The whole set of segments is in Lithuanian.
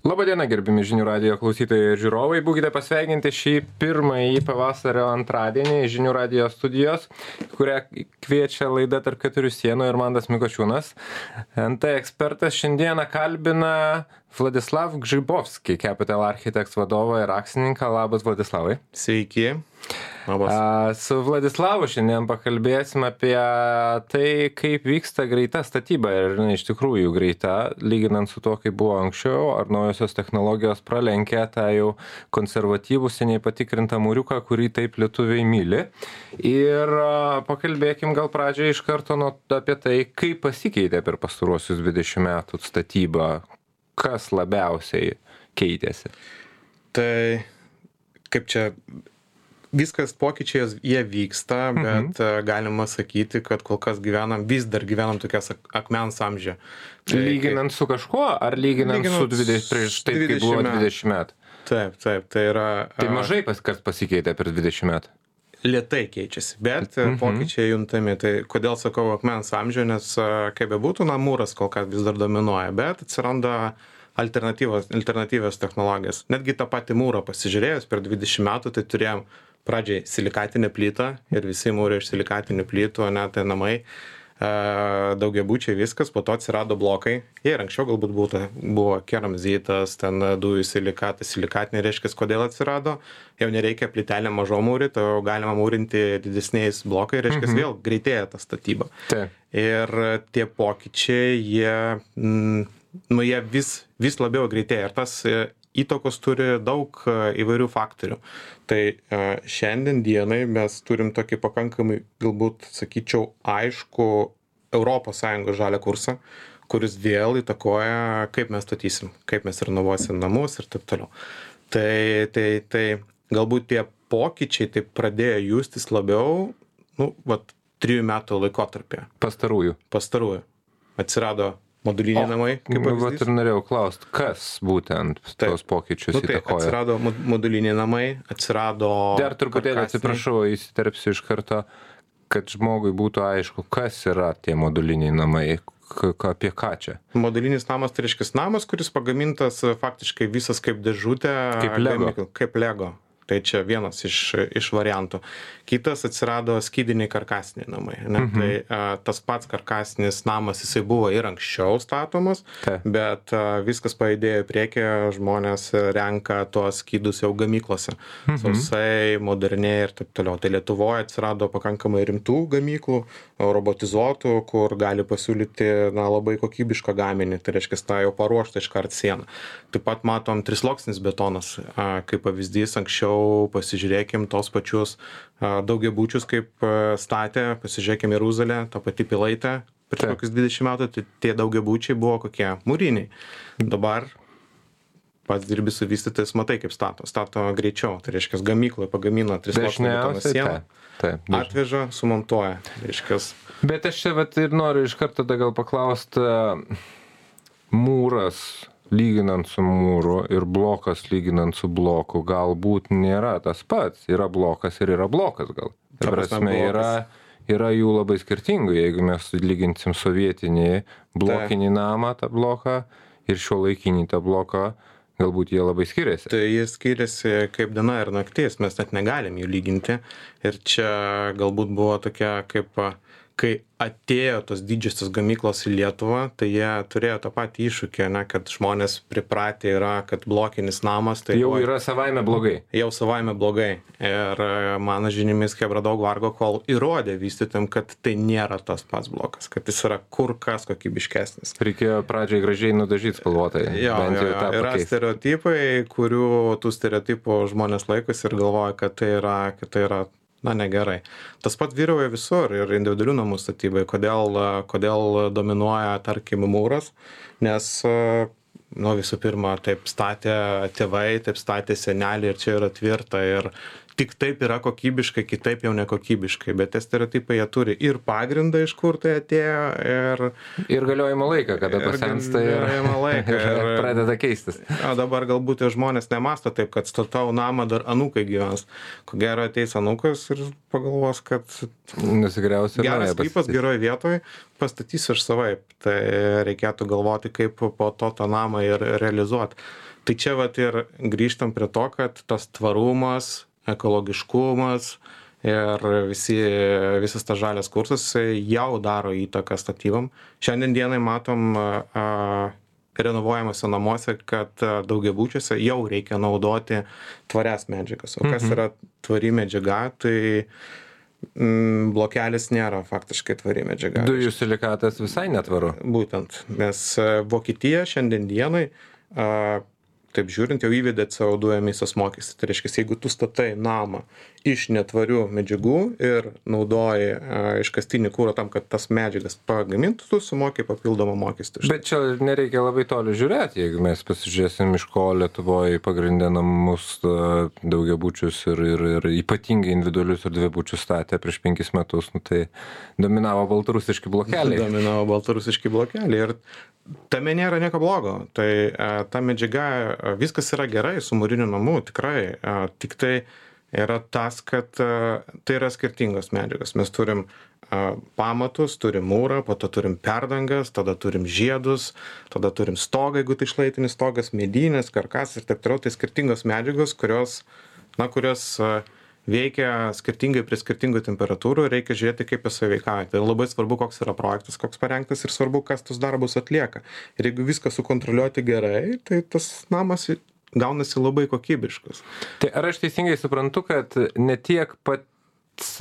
Labadiena, gerbimi žinių radijo klausytojai ir žiūrovai. Būkite pasveikinti šį pirmąjį pavasario antradienį žinių radijo studijos, kurią kviečia laida Tarp keturių sienų ir Mantas Mikočiūnas. NT ekspertas šiandieną kalbina Vladislav Gžibovskį, Capital Architects vadovą ir akcininką. Labas, Vladislavai. Sveiki. Labas. Su Vladislavu šiandien pakalbėsim apie tai, kaip vyksta greita statyba ir iš tikrųjų greita, lyginant su to, kaip buvo anksčiau, ar naujosios technologijos pralenkia tą jau konservatyvų, seniai patikrintą mūriuką, kurį taip lietuviai myli. Ir pakalbėkim gal pradžioje iš karto apie tai, kaip pasikeitė per pastaruosius 20 metų statyba, kas labiausiai keitėsi. Tai kaip čia viskas pokyčiai jie vyksta, bet galima sakyti, kad kol kas vis dar gyvenam tokias akmens amžiuje. Tai, lyginant su kažkuo, ar lyginant su prieš taip, kaip buvo 20 metų? Taip, tai yra... Tai mažai kas pasikeitė per 20 metų? Lėtai keičiasi, bet pokyčiai juntami. Tai kodėl sakau akmens amžiuje, nes kaip bebūtų, mūras kol kas vis dar dominuoja, bet atsiranda alternatyvios technologijos. Netgi tą patį mūrą pasižiūrėjus per 20 metų, tai turėjom pradžiai silikatinę plytą ir visi mūrai iš silikatinių plytų, o ne tai namai, daugiabučiai viskas, po to atsirado blokai. Jie ir anksčiau galbūt buvo keramzitas, ten dujų silikatas, silikatinė reiškia, kodėl atsirado. Jau nereikia plytelę mažo mūryti, o galima mūrinti didesniais blokai, reiškia, vėl greitėja ta statyba. Taip. Ir tie pokyčiai, jie vis labiau greitėja. Ir tas įtakos turi daug įvairių faktorių. Tai šiandien dienai mes turim tokį pakankamai, galbūt sakyčiau, aišku ES žalią kursą, kuris vėl įtakoja, kaip mes statysim, kaip mes renovuosim namus ir taip toliau. Tai galbūt tie pokyčiai taip pradėjo justis labiau, 3 metų laikotarpyje. Pastarųjų. Atsirado moduliniai namai, kaip pavyzdys. Ir norėjau klausti, kas būtent tos pokyčius įtakoja? Atsirado moduliniai namai, atsirado... Dar truputėlį atsiprašau, įsiterpsiu iš karto, kad žmogui būtų aišku, kas yra tie moduliniai namai, apie ką čia? Modulinis namas tai reiškia namas, kuris pagamintas faktiškai visas kaip dėžutė. Kaip Lego. Tai čia vienas iš variantų. Kitas atsirado skydiniai karkasiniai namai. Tai tas pats karkasinis namas, jisai buvo ir anksčiau statomas, bet viskas pajudėjo į priekį, žmonės renka tuos skydus jau gamyklose. Sausai, moderniai ir taip toliau. Tai Lietuvoje atsirado pakankamai rimtų gamyklų, robotizuotų, kur gali pasiūlyti labai kokybišką gaminį. Tai reiškia, tą jau paruoštą iškart sieną. Taip pat matom trisluoksnis betonas, kaip pavyzdys anksčiau. Pasižiūrėkim tos pačius daugiabučius, kaip statė, pasižiūrėkim Jeruzalę, tą patį Pilaitę, prieš kokius 20 metų, tai tie daugiabučiai buvo kokie mūriniai. Dabar pats dirbi su vystytojais, matai, kaip stato greičiau, tai reiškia, gamykloje pagamino trisluoksnį betono sieną, atveža, sumontuoja, reiškia. Bet aš čia ir noriu iš karto gal paklausti, mūras lyginant su mūru ir blokas lyginant su bloku galbūt nėra tas pats. Yra blokas ir yra blokas gal. Ta prasme, yra jų labai skirtingų. Jeigu mes lyginsim sovietinį blokinį namą, tą bloką, ir šiuolaikinį tą bloką, galbūt jie labai skiriasi. Tai jie skiriasi kaip diena ir naktis, mes net negalim jų lyginti. Ir čia galbūt buvo tokia kai atėjo tos didžiosios gamyklos į Lietuvą, tai jie turėjo tą patį iššūkį, kad žmonės pripratę yra, kad blokinis namas... Tai jau yra savaime blogai. Jau savaime blogai. Ir mano žiniomis, Chebra daug vargo, kol įrodė vystytojam, kad tai nėra tas pats blokas, kad jis yra kur kas kokybiškesnis. Reikėjo pradžiai gražiai nudažyti spalvotai. Yra stereotipai, kurių tų stereotipų žmonės laikosi ir galvoja, kad tai yra negerai. Tas pat vyrauja visur ir individualių namų statybai. Kodėl dominuoja, tarkim, mūras? Nes, visų pirma, taip statė tėvai, taip statė seneliai ir čia yra tvirta ir tik taip yra kokybiškai, kitaip jau nekokybiškai. Bet tie stereotipai jie turi ir pagrindą, iš kur tai atėjo, ir galiojimo laiką, kada pasensta ir pradeda keistis. O dabar galbūt žmonės nemąsto taip, kad statau namą, dar anūkai gyvens. Ko gero ateis anūkas ir pagalvos, kad geras sklypas geroj vietoj, pastatysiu aš savaip. Tai reikėtų galvoti, kaip po to tą namą ir realizuoti. Tai čia vat ir grįžtam prie to, kad tas tvarumas, ekologiškumas ir visas tas žalias kursas jau daro įtaką statybom. Šiandien dienai matom renovuojamuose namuose, kad daugiabučiuose jau reikia naudoti tvarias medžiagas. O kas yra tvari medžiaga, tai blokelis nėra faktiškai tvari medžiaga. Dujų silikatas visai netvaru. Būtent, nes Vokietija šiandien dienai, taip žiūrint, jau įvedė CO2 emisijos mokestį. Tai reiškia, jeigu tu statai namą iš netvarių medžiagų ir naudoji iškastinį kurą tam, kad tas medžiagas pagamintų, tu sumoki papildomą mokestį. Bet čia nereikia labai toli žiūrėti, jeigu mes pasižiūrėsim, iš ko Lietuvoje pagrindė namus daugiabučius ir ypatingai individualius ir dvibučius statė prieš 5 metus, tai dominavo baltarusiški blokeliai. Ir tame nėra nieko blogo. Tai ta medžiaga, viskas yra gerai su mūriniu namu, tikrai. Tik tai yra tas, kad tai yra skirtingos medžiagos. Mes turim pamatus, turim mūrą, po to turim perdangas, tada turim žiedus, tada turim stogą, jeigu tai šlaitinis stogas, medinės, karkasas ir taip toliau. Tai skirtingos medžiagos, kurios veikia skirtingai prie skirtingų temperatūrų, reikia žiūrėti, kaip jis veikauja. Tai labai svarbu, koks yra projektas, koks parengtas ir svarbu, kas tus darbus atlieka. Ir jeigu viską sukontroliuoti gerai, tai tas namas gaunasi labai kokybiškas. Tai ar aš teisingai suprantu, kad ne tiek pats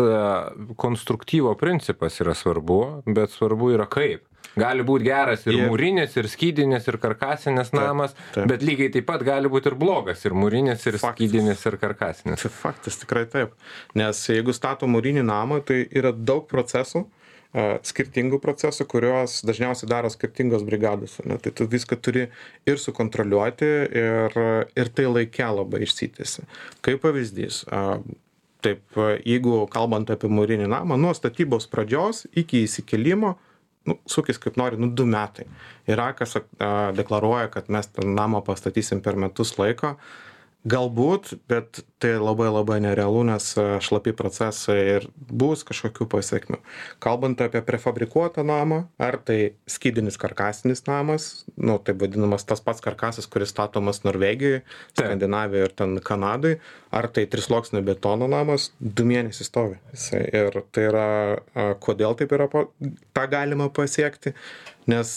konstruktyvo principas yra svarbu, bet svarbu yra kaip? Gali būti geras ir mūrinis, ir skydinis, ir karkasinis namas, bet lygiai taip pat gali būti ir blogas, ir mūrinis, ir skydinis, ir karkasinis. Tai faktas, tikrai taip. Nes jeigu stato mūrinį namą, tai yra daug procesų, skirtingų procesų, kuriuos dažniausiai daro skirtingos brigados. Ne? Tai tu viską turi ir sukontroliuoti, ir tai laike labai išsitęsi. Kaip pavyzdys, taip, jeigu kalbant apie mūrinį namą, nuo statybos pradžios iki įsikėlimo, sukis kaip nori, 2 metai. Yra, kas deklaruoja, kad mes tą namą pastatysim per metus laiko. Galbūt, bet tai labai labai nerealu, nes šlapi procesai ir bus kažkokių pasiekmių. Kalbant apie prefabrikuotą namą, ar tai skydinis karkasinis namas, taip vadinamas tas pats karkasas, kuris statomas Norvegijoje, Skandinavijoje ir ten Kanadai, ar tai 3-sluoksnio betono namas, 2 mėnesius stovi. Ir tai yra, kodėl taip yra, tą galima pasiekti, nes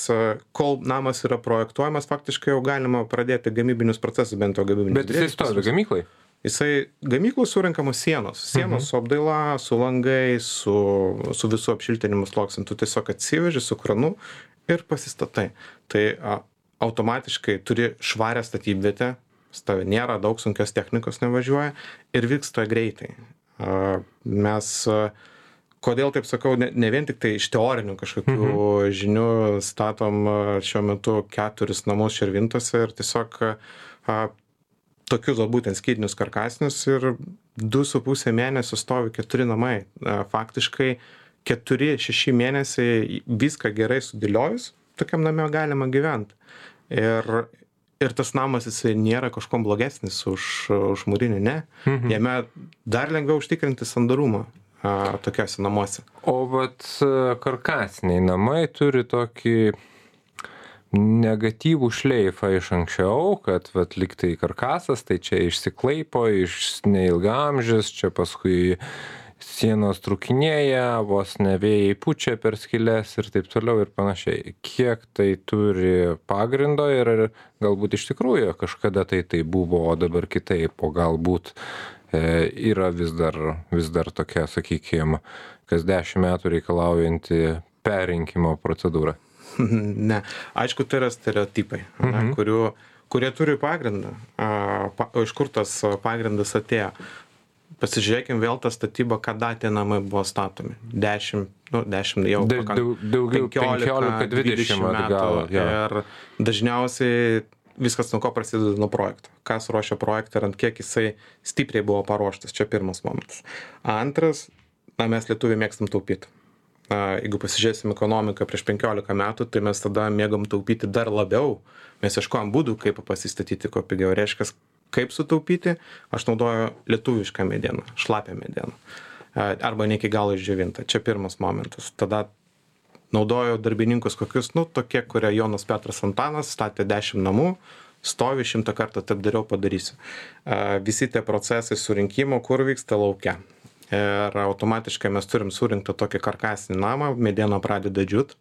kol namas yra projektuojamas, faktiškai jau galima pradėti gamybinius procesus, bent jau gamybinius. Bet jisai stovi gamyklai? Jisai gamyklų surinkamos sienos su apdaila, su langai, su visų apšiltinimu sluoksniu. Tu tiesiog atsiveži su kranu ir pasistatai. Tai automatiškai turi švarę statybvietę, nėra daug sunkios technikos nevažiuoja ir vyksta greitai. Kodėl taip sakau, ne vien tik tai iš teorinių kažkokių žinių statom šiuo metu 4 namus Širvintose ir tiesiog tokius būtent skydinius karkasinius ir 2,5 mėnesių stovi 4 namai. Faktiškai 4-6 mėnesiai viską gerai sudėliojus, tokiam name galima gyventi. Ir tas namas jisai nėra kažkom blogesnis už mūrinį, ne. Jame dar lengviau užtikrinti sandarumą tokiuose namuose. O vat karkasiniai namai turi tokį negatyvų šleifą iš anksčiau, kad vat lyg tai karkasas, tai čia išsiklaipo, neilgaamžis, čia paskui sienos trūkinėja, vos ne vėjai pučia per skyles ir taip toliau ir panašiai. Kiek tai turi pagrindo ir galbūt iš tikrųjų kažkada tai buvo, o dabar kitaip, o galbūt yra vis dar tokia, sakykime, kas 10 metų reikalaujanti perrinkimo procedūra. Ne, aišku, tai yra stereotipai, kurie turi pagrindą. Iš kur tas pagrindas atėjo? Pasižiūrėkim vėl tą statybą, kada tie namai buvo statomi. 10 jau daugiau 15-20 metų. Ir dažniausiai viskas nuo ko prasideda nuo projekto. Kas ruošia projektą ir ant kiek jisai stipriai buvo paruoštas. Čia pirmas momentas. Antras, mes lietuviai mėgstam taupyti. Jeigu pasižiūrėsim ekonomiką prieš 15 metų, tai mes tada mėgom taupyti dar labiau. Mes ieškojom būdų, kaip pasistatyti kuo pigiau. Reiškia, kaip sutaupyti, aš naudoju lietuvišką medieną, šlapią medieną. Arba ne iki galo išdžiovintą. Čia pirmas momentas. Tada naudojo darbininkus kokius, tokie, kurie Jonas Petras Antanas statė 10 namų, stovi 100 kartų, taip dariau, padarysiu. Visi tie procesai surinkimo, kur vyksta lauke. Ir automatiškai mes turim surinktą tokį karkasinį namą, mediena pradeda džiūt,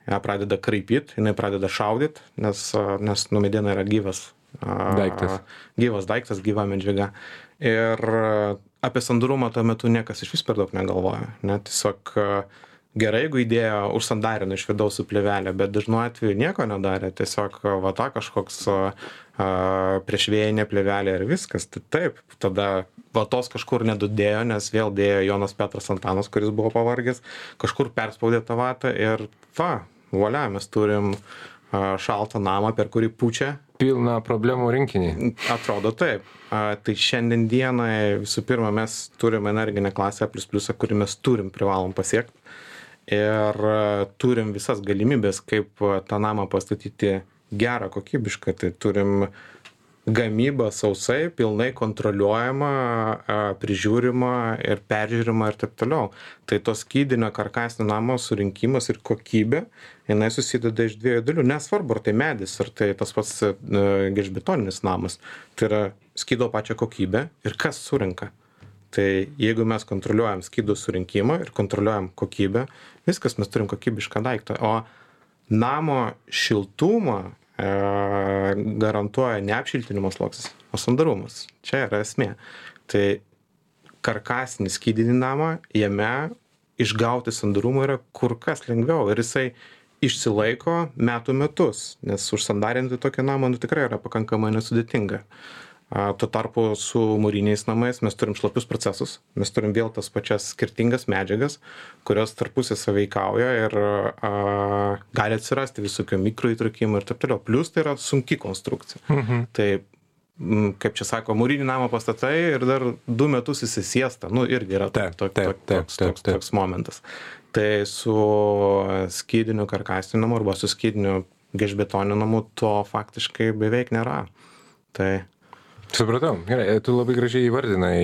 ją pradeda kraipyt, jinai pradeda šaudyt, nes mediena yra gyvas daiktas, gyva medžiaga. Ir apie sandarumą tuo metu niekas iš vis per daug negalvoja. Tiesiog gerai, jeigu įdėjo užsandarino iš vidaus su plėvelė, bet dažnu atveju nieko nedarė, tiesiog kažkoks priešvėjinė plėvelė ir viskas. Tai taip, tada vatos kažkur nedudėjo, nes vėl dėjo Jonas Petras Antanas, kuris buvo pavargęs, kažkur perspaudė tą vatą ir volia, mes turim šaltą namą, per kurį pučia. Pilna problemų rinkinį. Atrodo taip. Tai šiandien dienai visų pirma mes turim energinę klasę A++, kurį mes privalom pasiekti. Ir turim visas galimybės, kaip tą namą pastatyti gerą, kokybišką. Tai turim gamybą sausai, pilnai kontroliuojama, prižiūrima ir peržiūrima ir taip toliau. Tai to skydinio karkasinio namo surinkimas ir kokybė, jinai susideda iš dviejų dalių. Nesvarbu, ar tai medis, ar tai tas pats gelžbetoninis namas. Tai yra skydo pačią kokybę ir kas surinka. Tai jeigu mes kontroliuojam skydo surinkimą ir kontroliuojam kokybę, viskas, mes turim kokybišką daiktą. O namo šiltumą garantuoja ne apšiltinimo sluoksnis, o sandarumas. Čia yra esmė. Tai karkasinį skydinį namą, jame išgauti sandarumą yra kur kas lengviau ir jisai išsilaiko metų metus, nes užsandarinti tokį namą tikrai yra pakankamai nesudėtinga. Tuo tarpu su mūriniais namais mes turim šlapius procesus, mes turim vėl tas pačias skirtingas medžiagas, kurios tarpusai sąveikauja ir gali atsirasti visokių mikroįtrūkimų ir taip toliau. Plius tai yra sunki konstrukcija. Tai, kaip čia sako, mūrinį namą pastatai ir dar 2 metus įsisiesta, irgi yra toks momentas. Tai su skydiniu karkasiniu namu arba su skydiniu gelžbetoniniu namu to faktiškai beveik nėra. Tai supratau, gerai, tu labai gražiai įvardinai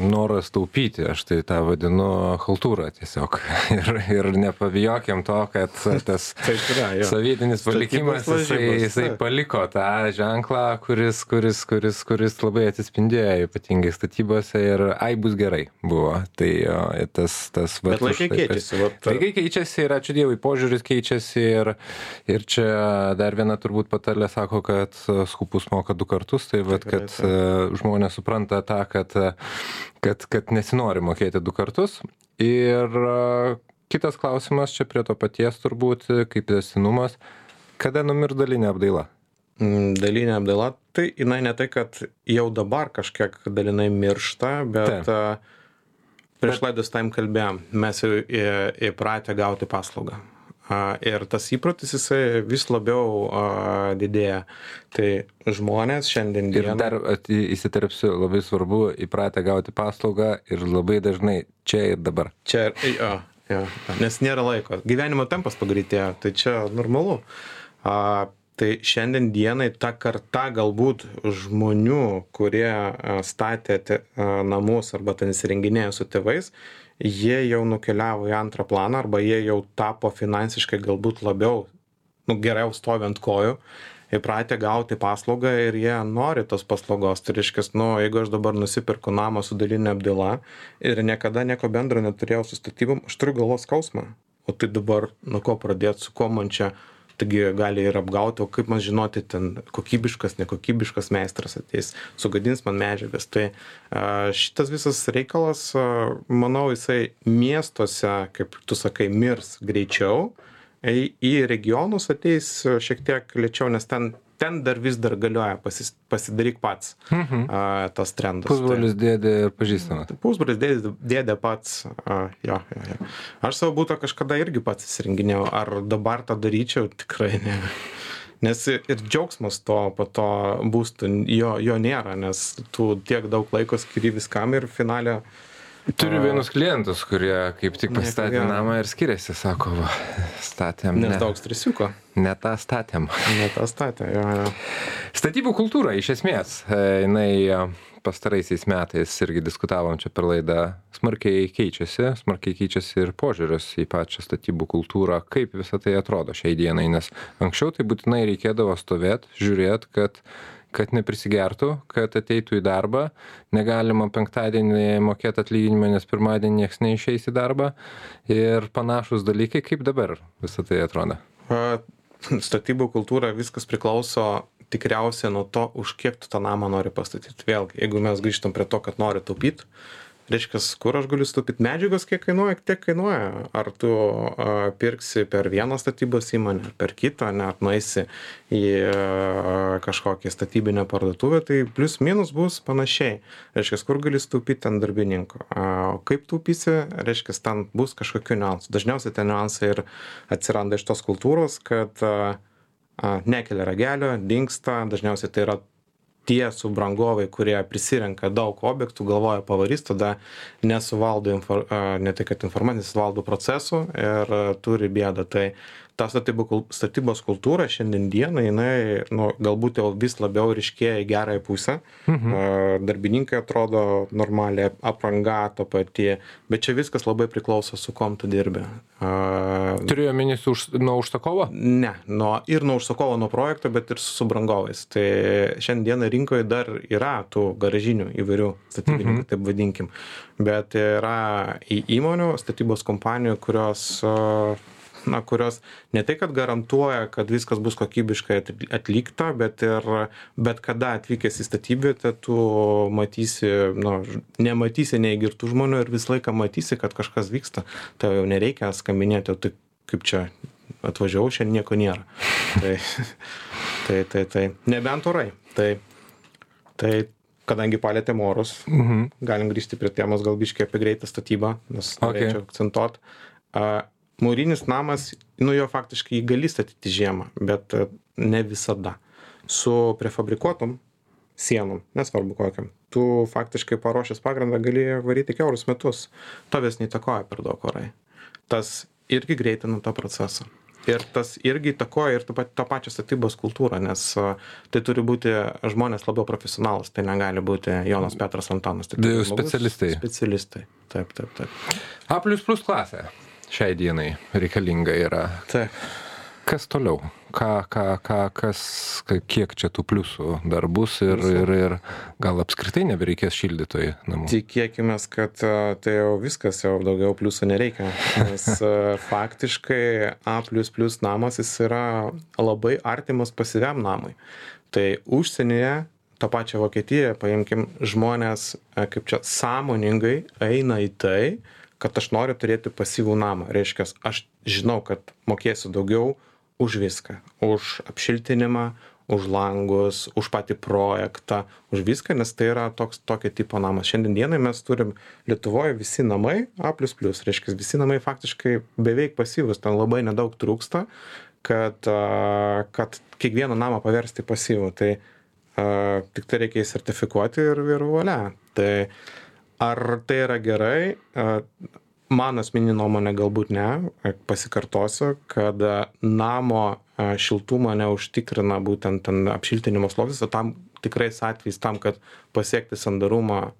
noras taupyti, aš tai tą vadinu chaltūrą tiesiog. Ir nepabijokim to, kad tas sovietinis palikimas, jisai paliko tą ženklą, kuris labai atsispindėjo ypatingai statybose ir bus gerai buvo. Tai tas bet laikai keičiasi. Laikai keičiasi ir ačiū Dievui, požiūris keičiasi ir čia dar viena turbūt patarlė sako, kad skupus moka 2 kartus. Tai kad žmonės supranta tą, kad nesinori mokėti 2 kartus. Ir kitas klausimas čia prie to paties turbūt, kaip tęstinumas, kada numirs dalinė apdaila? Dalinė apdaila, tai jinai ne tai, kad jau dabar kažkiek dalinai miršta, bet prieš laidos tam kalbėjom, mes jau įpratę gauti paslaugą. Ir tas įprotis jisai vis labiau didėja. Tai žmonės šiandien dieną... Ir dar įsiterpsiu, labai svarbu įpratę gauti paslaugą ir labai dažnai čia ir dabar. Čia, nes nėra laiko. Gyvenimo tempas pagreitėjo, tai čia normalu. Tai šiandien dienai ta karta galbūt žmonių, kurie statė namus arba ten įsirenginėjo su tėvais, jie jau nukeliavo į antrą planą arba jie jau tapo finansiškai galbūt labiau, geriau stovi ant kojų, įpratę gauti paslaugą ir jie nori tos paslaugos. Tai reiškia, jeigu aš dabar nusipirku namą su dalinė apdaila ir niekada nieko bendro neturėjau su statybom, aš turiu galvos skausmą. O tai dabar nuo ko pradėti, su ko man čia, taigi gali ir apgauti, o kaip man žinoti, ten kokybiškas, nekokybiškas meistras ateis, sugadins man medžiagas. Tai šitas visas reikalas, manau, jisai miestuose, kaip tu sakai, mirs greičiau, į regionus ateis šiek tiek lėčiau, nes ten dar vis dar galioja pasidaryk pats tas trendas. Pusbrolis dėdė ir pažįstamas. Pusbrolis dėdė pats, jo. Aš savo būtą kažkada irgi pats įsirenginėjau, ar dabar tą daryčiau, tikrai ne. Nes ir džiaugsmas po to būstų jo nėra, nes tu tiek daug laiko skiri viskam ir finale. Turiu vienus klientus, kurie kaip tik pastatė namą ir skiriasi, sako, statėm. Nes daug stresiuko. Ne tą statėm. Ne tą statė, jo. Statybų kultūra, iš esmės, jinai pastaraisiais metais irgi diskutavom čia per laidą, smarkiai keičiasi ir požiūris į pačią statybų kultūrą, kaip visą tai atrodo šiai dienai, nes anksčiau tai būtinai reikėdavo stovėti, žiūrėti, kad neprisigertų, kad ateitų į darbą, negalima penktadienį mokėti atlyginimą, nes pirmadienį nieks neišeis į darbą ir panašus dalykai, kaip dabar visą tai atrodo. Statybų kultūra viskas priklauso tikriausiai nuo to, už kiek tu tą namą nori pastatyti. Vėlgi, jeigu mes grįžtam prie to, kad nori taupyti, reiškia, kur aš galiu sutaupyti medžiagos, kiek kainuoja, tiek kainuoja. Ar tu pirksi per vieną statybos įmonę, per kitą, net nueisi į kažkokią statybinę parduotuvę, tai plius minus bus panašiai. Reiškia, kur gali sutaupyti ant darbininko. Kaip taupysi, reiškia, ten bus kažkokių niuansų. Dažniausiai tie niuansai ir atsiranda iš tos kultūros, kad nekelia ragelio, dingsta, dažniausiai tai yra tie subrangovai, kurie prisirenka daug objektų, galvoja pavarys, tada nesuvaldo, ne tai kad informaciją, suvaldo procesų ir turi bėdą. Tai ta statybos kultūra šiandien dieną, jinai galbūt jau vis labiau ryškėja į gerąją pusę. Darbininkai atrodo normaliai, apranga ta pati, bet čia viskas labai priklauso, su kom tu dirbi. Turėjo minės nuo užsakovo? Ne, ir nuo užsakovo, nuo projekto, bet ir su subrangovais. Tai šiandien rinkoje dar yra tų garažinių įvairių statybininkų, taip vadinkim. Bet yra įmonių, statybos kompanijų, kurios ne tai, kad garantuoja, kad viskas bus kokybiškai atlikta, bet kada atvykęs į statybvietę, tu matysi, nematysi neįgirtų žmonių ir visą laiką matysi, kad kažkas vyksta. Tai jau nereikia skambinėti, tai kaip čia atvažiavau, šiandien nieko nėra. Tai nebent orai. Tai kadangi palėtėm orus, galim grįžti prie temos gal biškai apie greitą statybą, nes norėčiau akcentuot. Mūrinis namas, jo faktiškai gali statyti žiemą, bet ne visada. Su prefabrikuotom sienom, nesvarbu kokiam, tu faktiškai paruošęs pagrindą gali varyti kiaurus metus. Tavęs neįtakoja per daug orai. Tas irgi greitina tą procesą. Ir tas irgi įtakoja ir tą pačią statybos kultūrą, nes tai turi būti žmonės labiau profesionalus, tai negali būti Jonas Petras Antanas. Tai specialistai. Specialistai, taip. A++ klasė šiai dienai reikalinga yra. Taip. Kas toliau? Kiek čia tų pliusų dar bus ir gal apskritai nebereikės šildytojų namų? Tikėkimės, kad tai jau viskas, jau daugiau pliusų nereikia, nes faktiškai A++ namas jis yra labai artimas pasyviam namui. Tai užsienyje, tą pačią Vokietiją, paimkim, žmonės kaip čia sąmoningai eina į tai, kad aš noriu turėti pasyvų namą. Reiškia, aš žinau, kad mokėsiu daugiau už viską. Už apšiltinimą, už langus, už patį projektą, už viską, nes tai yra tokio tipo namas. Šiandien dienai mes turim Lietuvoje visi namai A++. Reiškia, visi namai faktiškai beveik pasyvus. Ten labai nedaug trūksta, kad kiekvieną namą paversti pasyvų. Tai tik tai reikia sertifikuoti ir valia. Tai ar tai yra gerai? Mano asmeninė nuomonė galbūt ne. Pasikartosiu, kad namo šiltumą neužtikrina būtent ten apšiltinimo sluoksnis, o tam tikrais atvejais tam, kad pasiekti sandarumą,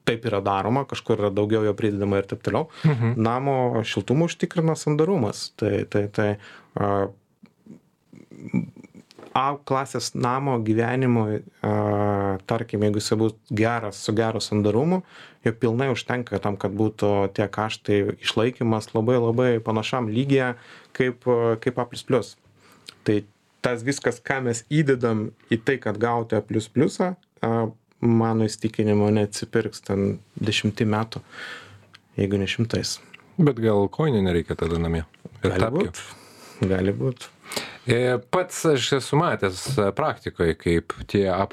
taip yra daroma, kažkur yra daugiau jo pridedama ir taip toliau. Namo šiltumą užtikrina sandarumas. Tai A klasės namo gyvenimui, tarkim, jeigu jis bus geras, su geru sandarumu, jo pilnai užtenka tam, kad būtų tie kaštai išlaikymas labai panašam lygyje kaip A++. Tai tas viskas, ką mes įdedam į tai, kad gauti A++, mano įstikinimu neatsipirks ten 10 metų, jeigu ne 100. Bet gal kojinių nereikia tada namie? Gali būt. Pats aš esu matęs praktikoje, kaip tie A++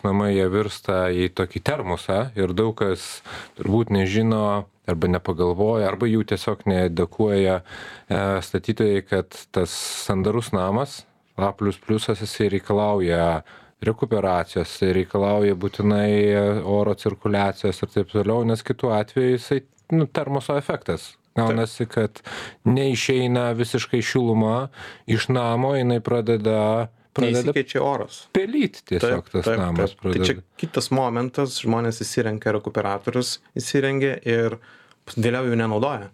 namai jie virsta į tokį termosą ir daug kas turbūt nežino arba nepagalvoja, arba jų tiesiog needukuoja statytojai, kad tas sandarus namas A++ jisai reikalauja rekuperacijos, reikalauja būtinai oro cirkuliacijos ir taip toliau, nes kitu atveju jisai termoso efektas. Gaunasi, kad neišeina visiškai šiluma iš namo, jinai pradeda neįsikeičia oras. Pelyti tiesiog tas namas pradeda. Tai čia kitas momentas, žmonės įsirengia rekuperatorius, įsirengia ir vėliau jų nenaudoja.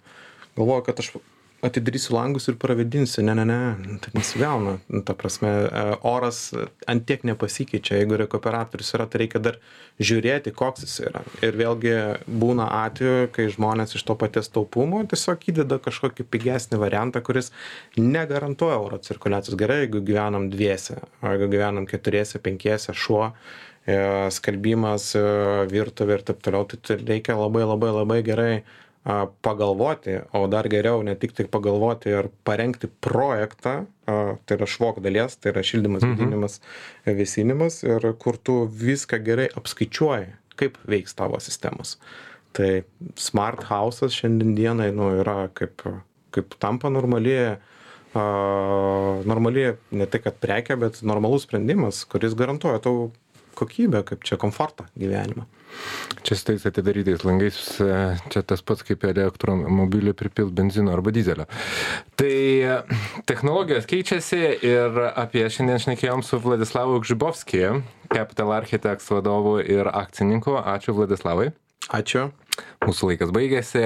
Galvoju, kad aš atidarysiu langus ir pravėdinsiu. Ne, tai nesigauna. Ta prasme, oras ant tiek nepasikeičia. Jeigu rekuperatorius yra, tai reikia dar žiūrėti, koks jis yra. Ir vėlgi būna atveju, kai žmonės iš to paties taupumo tiesiog įdeda kažkokį pigesnį variantą, kuris negarantuoja oro cirkuliacijos. Gerai, jeigu gyvenam dviese, o jeigu gyvenam keturiese, penkiese, šuo, skalbimas, virtuvė ir taip toliau, tai reikia labai gerai pagalvoti, o dar geriau ne tik tai pagalvoti ir parengti projektą, tai yra švok dalies, tai yra šildymas, vėdinimas, vėsinimas, ir kur tu viską gerai apskaičiuoji, kaip veiks tavo sistemos. Tai smart house'as šiandien dienai yra kaip tampa normali ne tai kad prekė, bet normalus sprendimas, kuris garantuoja tau kokybę, kaip čia komfortą gyvenimą. Čia su tais atidarytais langais, čia tas pats kaip elektromobiliui pripilt benzino arba dizelio. Tai technologijos keičiasi ir apie šiandien šnekėjom su Vladislavu Gžibovskiu, Capital Architects vadovu ir akcininku. Ačiū Vladislavai. Ačiū. Mūsų laikas baigėsi.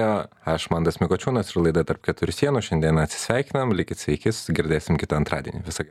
Aš Mantas Mikočiūnas ir laida Tarp keturių sienų. Šiandien atsisveikinam. Likit sveiki, girdėsim kitą antradienį. Visą